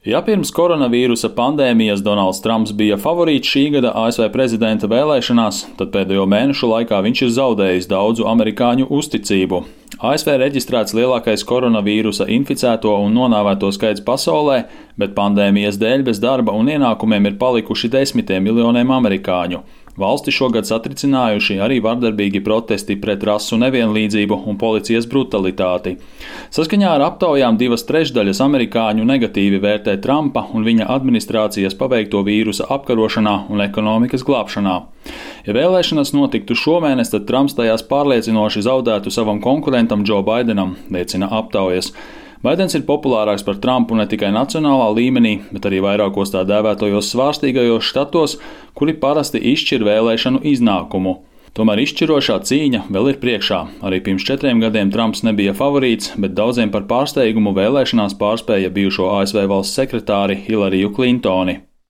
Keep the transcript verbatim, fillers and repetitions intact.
Ja pirms koronavīrusa pandēmijas Donalds Trumps bija favorīts šī gada A S V prezidenta vēlēšanās, tad pēdējo mēnešu laikā viņš ir zaudējis daudzu amerikāņu uzticību. A S V reģistrēts lielākais koronavīrusa inficēto un nonāvēto skaits pasaulē, bet pandēmijas dēļ bez darba un ienākumiem ir palikuši desmitiem miljoniem amerikāņu. Valsti šogad satricinājuši arī vardarbīgi protesti pret rasu nevienlīdzību un policijas brutalitāti. Saskaņā ar aptaujām divas trešdaļas amerikāņu negatīvi vērtē Trumpa un viņa administrācijas paveikto vīrusa apkarošanā un ekonomikas glābšanā. Ja vēlēšanas notiktu šomēnes, tad Trumps tajās pārliecinoši zaudētu savam konkurentam Džo Baidenam, liecina aptaujas. Baidens ir populārāks par Trumpu ne tikai nacionālā līmenī, bet arī vairākos tā dēvētojos svārstīgajos štatos, kuri parasti izšķir vēlēšanu iznākumu. Tomēr izšķirošā cīņa vēl ir priekšā. Arī pirms četriem gadiem Trumps nebija favorīts, bet daudziem par pārsteigumu vēlēšanās pārspēja bijušo A S V valsts sekretāri Hillariju Klintoni.